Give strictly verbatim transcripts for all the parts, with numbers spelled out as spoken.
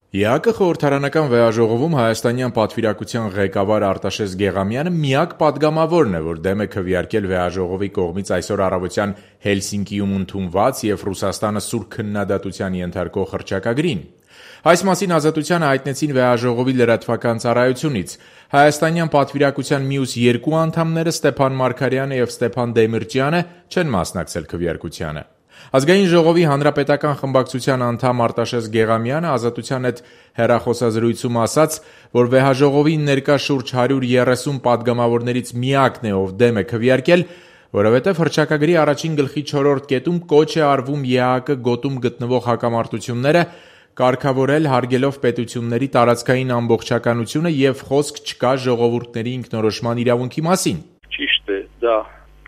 ԵԱԿ խորհրդարանական վեհաժողովում հայաստանյան պատվիրակության ղեկավար Արտաշես Գեղամյանը միակ պատգամավորն է, որ դեմ է քվեարկել վեհաժողովի կողմից այսօր առավոտյան Հելսինկիում ընդունված և Ռուսաստանը սուր քննադատության ենթարկող հռչակագրին։ Այս մասին Ազատությանը հայտնեցին վեհաժողովի լրատվական ծառայությունից։ Հայաստանյան պատվիրակության մյուս երկու անդամները՝ Ստեփան Մարգարյանը և Ստեփան Դեմիրճյանը, չեն մասնակցել քվեարկությանը։ Ազգային ժողովի հանրապետական խմբակցության անդամ Արտաշես Գեղամյանը Ազատության հետ հեռախոսազրույցում ասաց, որ վեհաժողովին ներկա շուրջ հարյուր երեսուն պատգամավորներից միակն է, ով դեմ է քվեարկել, որովհետև հռչակագրի առաջին գլխի չորրորդ կետում կոչ է արվում ԵԱԿ գոտում գտնվող հակամարտությունները կարգավորել հարգելով պետությունների տարածքային ամբողջականությունը և խոսք չկա ժողովուրդների ինքնորոշման իրավունքի մասին։ Ճիշտ է, դա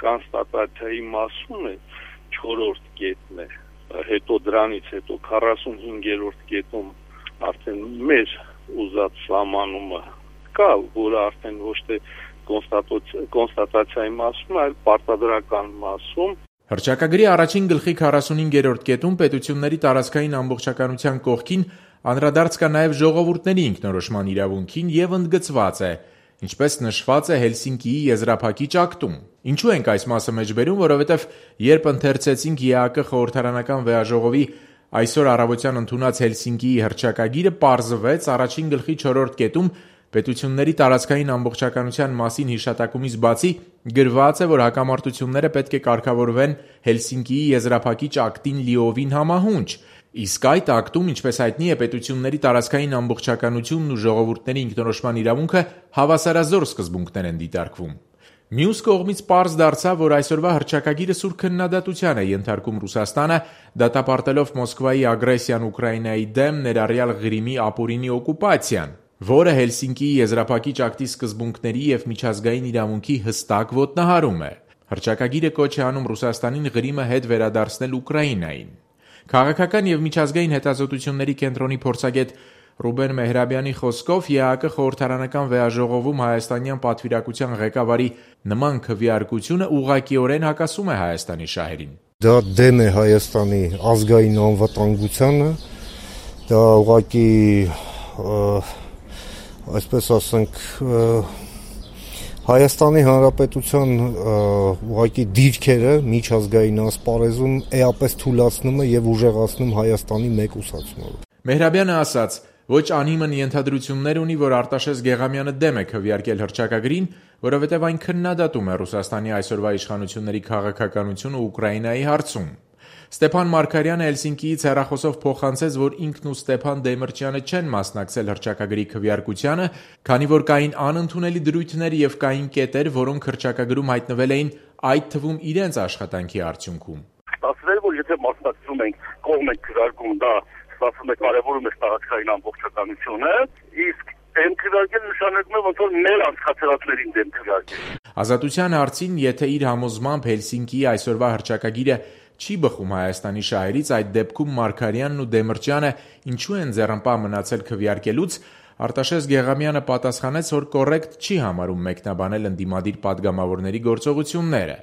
կոնստատացիայի մասում է, չորրորդ կետն է, հետո դրանից հետո քառասունհինգերորդ կետում արդեն մեր ուզած սահմանումը կա, որը արդեն ոչ թե կոնստատացիայի մասում, այլ պարտադրական մասում։ Հռչակագրի առաջին գլխի քառասունհինգերորդ կետում պետությունների տարածքային ամբողջականության կողքին անդրադարձ կա նաև ժողովուրդների ինքնորոշման իրավունքին և ընդգծված է, ինչպես նշված է Հելսինկիի եզրափակիչ ակտում։ Ինչու ենք այս մասը մեջբերում, որովհետև երբ ընթերցեցինք ԵԱԿ խորհրդարանական վեհաժողովի այսօր առավոտյան ընդունած Հելսինկիի հռչակագիրը, պարզվեց առաջին գլխի չորրորդ կետում պետությունների տարածքային ամբողջականության մասին հիշատակումից բացի գրված է, որ հակամարտությունները պետք է կարգավորվեն Հելսինկիի եզրափակիչ ակտին լիովին համահունչ, իսկ այդ ակտում, ինչպես հայտնի է, պետությունների տարածքային ամբողջականությունն ու ժողովուրդների ինքնորոշման իրավունքը հավասարազոր սկզբունքներ են դիտարկվում։ Մյուս կողմից պարզ դարձավ, որ այսօրվա հռչակագիրը սուր քննադատության է ենթարկում Ռուսաստանը, դատապարտելով Մոսկվայի ագրեսիան Ուկրաինայի դեմ, ներառյալ Ղրիմի ապօրինի օկուպացիան, որը Հելսինկիի եզրափակիչ ակտի սկզբունքների և միջազգային իրավունքի հստակ ոտնահարում է։ Հռչակագիրը կոչ է անում Ռուսաստանին Ղրիմը հետ վերադարձնել Ուկրաինային։ Քաղաքական և միջազգային հետազոտությունների կենտրոնի փորձագետ Ռուբեն Մեհրաբյանի խոսքով ԵԱԿ խորհրդարանական վեհաժողովում հայաստանյան պատվիրակության ղեկավարի նման քվեարկությունը ուղղակիորեն հակասում է Հայաստանի շահերին։ Դա դեմ է Հայաստանի ազգային անվտանգությանը, դա ուղղակի այսպես ասենք Հայաստանի Հանրապետության ուղղակի դիրքերը միջազգային ասպարեզում էապես թուլացնում է և ուժեղացնում Հայաստանի մեկուսացումը։ Մեհրաբյանը ասաց, ոչ անիմն ենթադրություններ ունի, որ Արտաշես Գեղամյանը դեմ է քվեարկել հռչակագրին, որովհետև այն քննադատում է Ռուսաստանի այսօրվա իշխանությունների քաղաքականությունը Ուկրաինայի հարցում։ Ստեփան Մարգարյանը Հելսինկիից հեռախոսով փոխանցեց, որ ինքն ու Ստեփան Դեմիրճյանը չեն մասնակցել հռչակագրի քվեարկությանը, քանի որ կային անընդունելի դրույթներ և կային կետեր, որոնք հռչակագրում հայտնվել էին, այդ թվում իրենց աշխատանքի արդյունքում։ Ստացվել, որ եթե մասնակցում ենք, կողմ ենք քվեարկում, դա ստացվում է կարևորում է տարածքային ամբողջականությունը, իսկ դեմ քվեարկել նշանակում է, ոնց որ մեր անցկացրածներին դեմ քվեարկել։ Ազատության հարցին, եթե իր համոզմամբ Հելսինկիի այսօրվա հռչակագիրը չի բխում Հայաստանի շահերից, այդ դեպքում Մարգարյանն ու Դեմիրճյանը ինչու են ձեռնպահ մնացել քվեարկելուց, Արտաշես Գեղամյանը պատասխանեց, որ կոռեկտ չի համարում մեկնաբանել ընդդիմադիր պատգամավորների գործողությունները։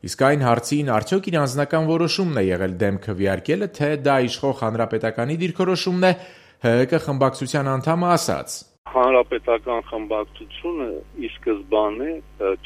Իսկ այն հարցին արդյոք իր անձնական որոշումն է եղել դեմ քվեարկելը, թե դա իշխող Հանրապետականի դիրքորոշումն է, ՀՀԿ խմբակցության անդամը ասաց. Հանրապետական խմբակցությունը ի սկզբանե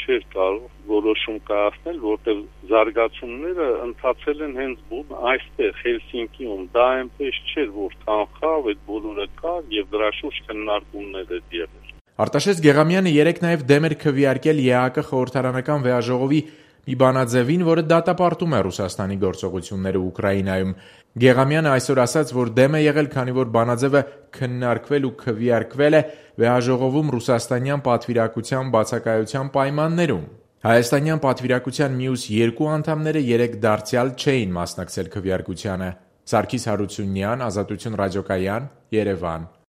չէր կարող որոշում կայացնել, որտեղ զարգացումները ընթացել են հենց բուն այստեղ Հելսինկիում, դա այնպես չէր, որ կանխավ այդ բոլորը կար եւ դրա շուրջ քննարկումներ էր եղել։ Արտաշես Գեղամյանը երեկ նաև դեմ էր քվեարկել ԵԱԿ խորհրդարանական վեհաժողովի մի բանաձևին, որը դատապարտում է Ռուսաստանի գործողությունները Ուկրաինայում։ Գեղամյանը այսօր ասաց, որ դեմ է եղել, քանի որ բանաձևը քննարկվել ու քվեարկվել է վեհաժողովում ռուսաստանյան պատվիրակության բացակայության պայմաններում։ Հայաստանյան պատվիրակության մյուս երկու անդամները երեկ դարձյալ չէին մասնակցել քվեարկությանը։ Սարգիս Հարությունյան, Ազատություն ռադիոկայան, Երևան։